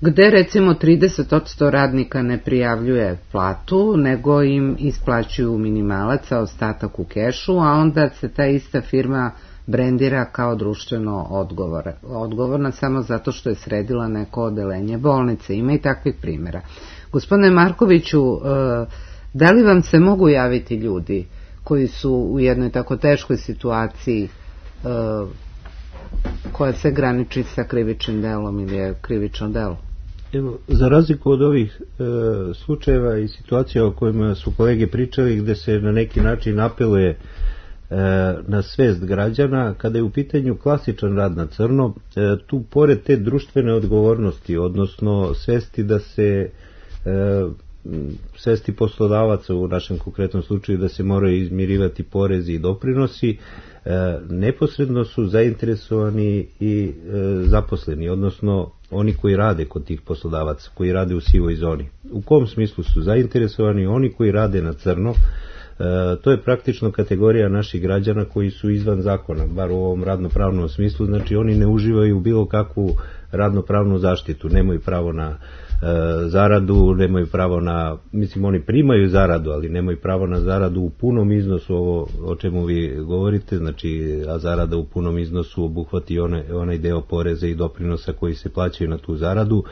gde recimo trideset posto radnika ne prijavljuje platu, nego im isplaćuju minimalac, a ostatak u kešu, a onda se ta ista firma brendira kao društveno odgovor, odgovorna samo zato što je sredila neko odelenje bolnice. Ima i takvih primjera. Gospodine Markoviću, da li vam se mogu javiti ljudi koji su u jednoj tako teškoj situaciji uh, koja se graniči sa krivičnim delom ili je krivično delo? Evo, za razliku od ovih e, slučajeva i situacija o kojima su kolege pričali, gde se na neki način apeluje e, na svest građana, kada je u pitanju klasičan rad na crno, e, tu pored te društvene odgovornosti, odnosno svesti da se e, svesti poslodavaca u našem konkretnom slučaju da se moraju izmirivati porezi i doprinosi, e, neposredno su zainteresovani i e, zaposleni, odnosno oni koji rade kod tih poslodavaca, koji rade u sivoj zoni. U kom smislu su zainteresovani? Oni koji rade na crno, to je praktično kategorija naših građana koji su izvan zakona, bar u ovom radnopravnom smislu, znači oni ne uživaju bilo kakvu radnopravnu zaštitu, nemaju pravo na e, zaradu, nemaju pravo na, mislim oni primaju zaradu, ali nemaju pravo na zaradu u punom iznosu, ovo o čemu vi govorite, znači a zarada u punom iznosu obuhvati onaj, onaj deo poreza i doprinosa koji se plaćaju na tu zaradu,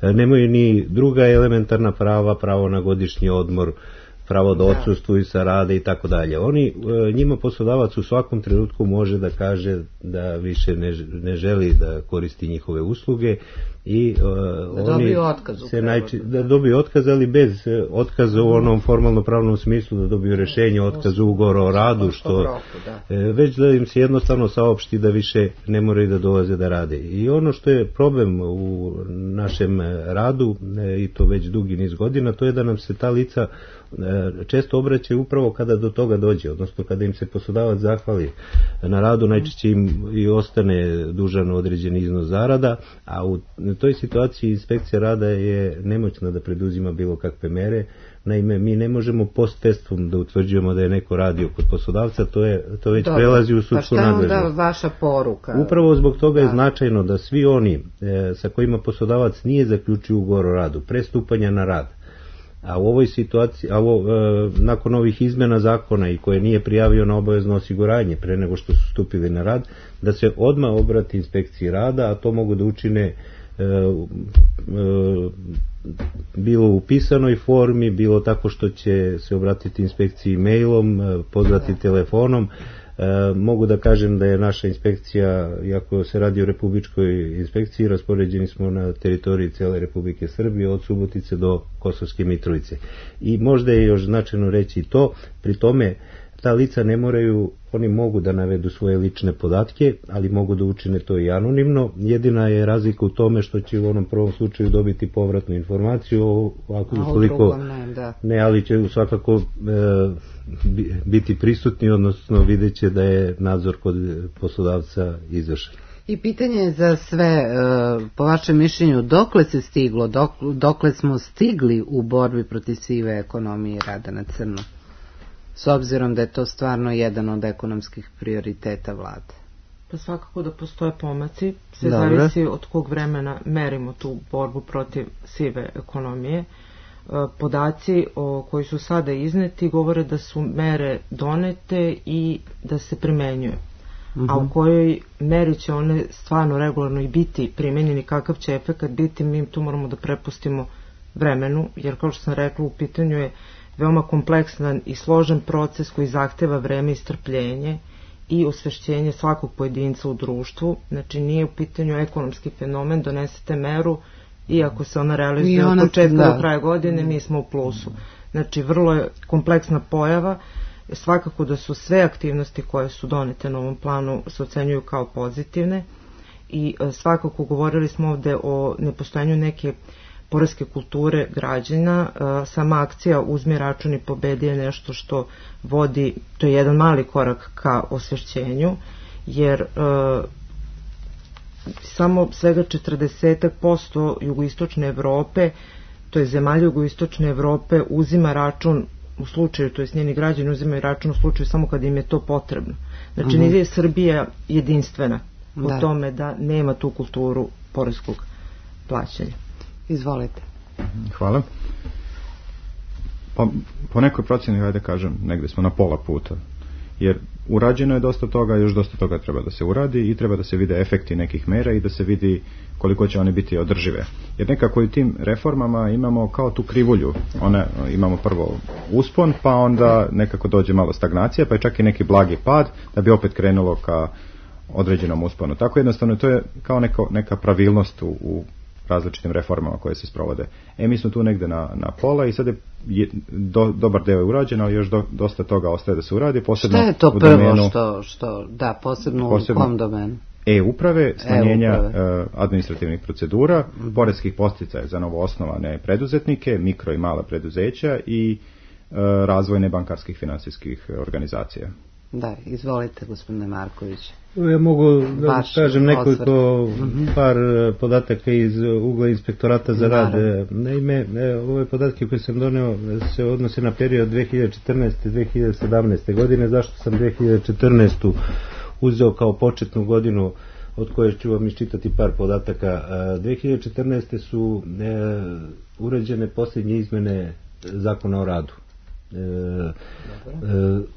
e, nemaju ni druga elementarna prava, pravo na godišnji odmor, pravo da odsustvuju sa rada i tako dalje. Oni, njima poslodavac u svakom trenutku može da kaže da više ne, ne želi da koristi njihove usluge i uh, da oni dobiju otkaz se najči, da dobiju otkaz, ali bez otkaza u onom formalno pravnom smislu, da dobiju rešenje o otkazu ugovora o radu, što već da im se jednostavno saopšti da više ne moraju da dolaze da rade. I ono što je problem u našem radu, i to već dugi niz godina, to je da nam se ta lica često obraćaju upravo kada do toga dođe, odnosno kada im se poslodavac zahvali na radu, najčešće im i ostane dužan određeni iznos zarada, a u toj situaciji inspekcija rada je nemoćna da preduzima bilo kakve mere. Naime, mi ne možemo post festum da utvrđujemo da je neko radio kod poslodavca, to je to već Dobre. prelazi u sudsku nadležnost. Pa šta je onda vaša poruka? Upravo zbog toga da. je značajno da svi oni e, sa kojima poslodavac nije zaključio ugovor o radu, pre stupanja na rad, a u ovoj situaciji, a ovo, e, nakon ovih izmena zakona i koje nije prijavio na obavezno osiguranje pre nego što su stupili na rad, da se odmah obrati inspekciji rada, a to mogu da učine e, e, bilo u pisanoj formi, bilo tako što će se obratiti inspekciji mailom, pozvati telefonom. E, mogu da kažem da je naša inspekcija, iako se radi o republičkoj inspekciji, raspoređeni smo na teritoriji cele Republike Srbije od Subotice do Kosovske Mitrovice. I možda je još značajno reći to, pri tome ta lica ne moraju, oni mogu da navedu svoje lične podatke, ali mogu da učine to i anonimno. Jedina je razlika u tome što će u onom prvom slučaju dobiti povratnu informaciju, ako ukoliko ne, da. ne, ali će svakako e, biti prisutni, odnosno vidjet će da je nadzor kod poslodavca izvršen. I pitanje je za sve, po vašem mišljenju, dokle se stiglo, dokle smo stigli u borbi protiv sive ekonomije i rada na crno? S obzirom da je to stvarno jedan od ekonomskih prioriteta vlade. Pa svakako da postoje pomaci, sve Dobre. zavisi od kog vremena merimo tu borbu protiv sive ekonomije. Podaci o koji su sada izneti govore da su mere donete i da se primenjuju. Uh-huh. A u kojoj meri će one stvarno regularno i biti primenjeni, kakav će efekat biti, mi tu moramo da prepustimo vremenu, jer kao što sam rekla, u pitanju je veoma kompleksan i složen proces koji zahteva vreme i strpljenje i osvešćenje svakog pojedinca u društvu. Znači nije u pitanju ekonomski fenomen, donesete meru i ako se ona realizuje od početka da. do kraja godine, mi smo u plusu. Znači vrlo je kompleksna pojava, svakako da su sve aktivnosti koje su donete na ovom planu se ocenjuju kao pozitivne i svakako govorili smo ovde o nepostojanju neke poreske kulture građana. Sama akcija Uzmi račun i pobedi je nešto što vodi, to je jedan mali korak ka osvešćenju, jer e, samo svega četrdeset posto jugoistočne Evrope, to je zemalja jugoistočne Evrope, uzima račun u slučaju, to je njeni građani uzimaju račun u slučaju samo kad im je to potrebno. Znači, uh-huh. nije Srbija jedinstvena u da. tome da nema tu kulturu poreskog plaćanja. Izvolite. Hvala. Pa, po nekoj procjeni, hajde kažem, negde smo na pola puta. Jer urađeno je dosta toga, još dosta toga treba da se uradi i treba da se vide efekti nekih mera i da se vidi koliko će one biti održive. Jer nekako i tim reformama imamo kao tu krivulju. One, imamo prvo uspon, pa onda nekako dođe malo stagnacija, pa je čak i neki blagi pad, da bi opet krenulo ka određenom usponu. Tako jednostavno to je kao neka, neka pravilnost u, u različitim reformama koje se sprovode. E, mi smo tu negde na, na pola i sad je, je do, dobar deo je urađen, ali još do, dosta toga ostaje da se uradi. Posebno šta je to prvo domenu, što, što, da, posebno, posebno u kom domenu? E-uprave, smanjenja e-uprave. administrativnih procedura, mm. poreskih podsticaja za novoosnovane preduzetnike, mikro i mala preduzeća i e, razvoj nebankarskih finansijskih organizacija. Da, izvolite, gospodine Marković. Ja mogu da Baš kažem nekoliko par podataka iz ugla inspektorata za rad. Naime, ove podatke koje sam doneo se odnose na period dve hiljade četrnaeste do dve hiljade sedamnaeste. godine. Zašto sam dve hiljade četrnaestu. uzeo kao početnu godinu od koje ću vam iščitati par podataka. dve hiljade četrnaeste. su uređene posljednje izmene Zakona o radu.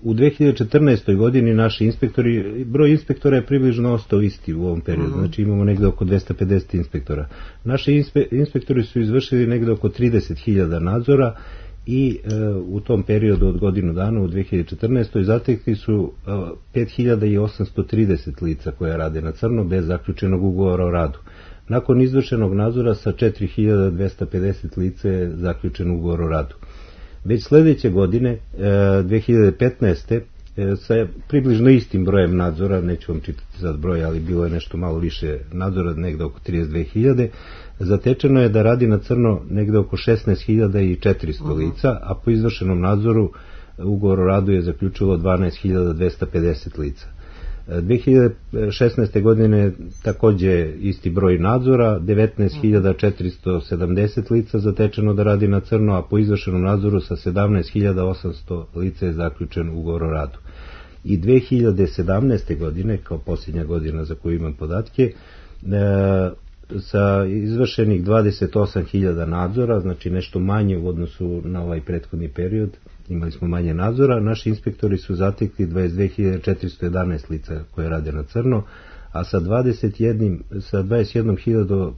U dve hiljade četrnaestoj. godini naši inspektori, broj inspektora je približno ostao isti u ovom periodu, znači imamo negde oko dvesta pedeset inspektora. Naši inspe, inspektori su izvršili negde oko trideset hiljada nadzora i e, u tom periodu od godinu dana u dve hiljade četrnaestoj. zatekli su e, pet hiljada osamsto trideset lica koja rade na crno bez zaključenog ugovora o radu. Nakon izvršenog nadzora sa četiri hiljade dvesta pedeset lica je zaključen ugovor o radu. Već sledeće godine, dve hiljade petnaeste. sa približno istim brojem nadzora, neću vam čitati sad broj, ali bilo je nešto malo više nadzora, negde oko trideset dve hiljade, zatečeno je da radi na crno negde oko šesnaest hiljada četiristo lica, a po izvršenom nadzoru ugovor o radu je zaključilo dvanaest hiljada dvesta pedeset lica. dve hiljade šesnaeste. godine takođe isti broj nadzora, devetnaest hiljada četiristo sedamdeset lica zatečeno da radi na crno, a po izvršenom nadzoru sa sedamnaest hiljada osamsto lica je zaključen ugovor o radu. I dve hiljade sedamnaeste. godine, kao posljednja godina za koju imam podatke, sa izvršenih dvadeset osam hiljada nadzora, znači nešto manje u odnosu na ovaj prethodni period, imali smo manje nadzora, naši inspektori su zatekli dvadeset dve hiljade četiristo jedanaest lica koje rade na crno, a sa dvadeset jednom hiljadom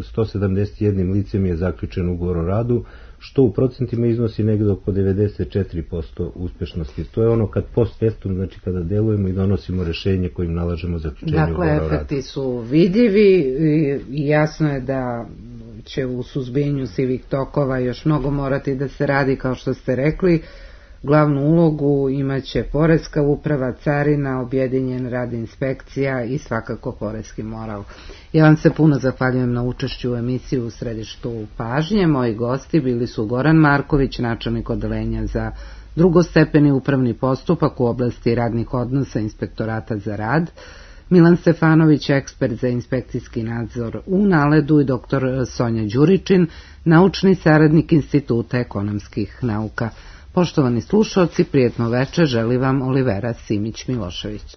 sto sedamdeset jednim licem je zaključen ugovor o radu, što u procentima iznosi negdje oko devedeset četiri posto uspešnosti. To je ono kad post festum, znači kada delujemo i donosimo rešenje kojim nalažemo zaključenje dakle, ugovora o radu. Dakle, efekti su vidljivi i jasno je da će u suzbijanju sivih tokova još mnogo morati da se radi, kao što ste rekli. Glavnu ulogu imaće poreska uprava, carina, objedinjen rad inspekcija i svakako poreski moral. Ja vam se puno zahvaljujem na učešću u emisiji U središtu pažnje. Moji gosti bili su Goran Marković, načelnik odeljenja za drugostepeni upravni postupak u oblasti radnih odnosa Inspektorata za rad, Milan Stefanović, ekspert za inspekcijski nadzor u Naledu, i doktor Sonja Đuričin, naučni saradnik Instituta ekonomskih nauka. Poštovani slušalci, prijetno večer želi vam Olivera Simić-Milošević.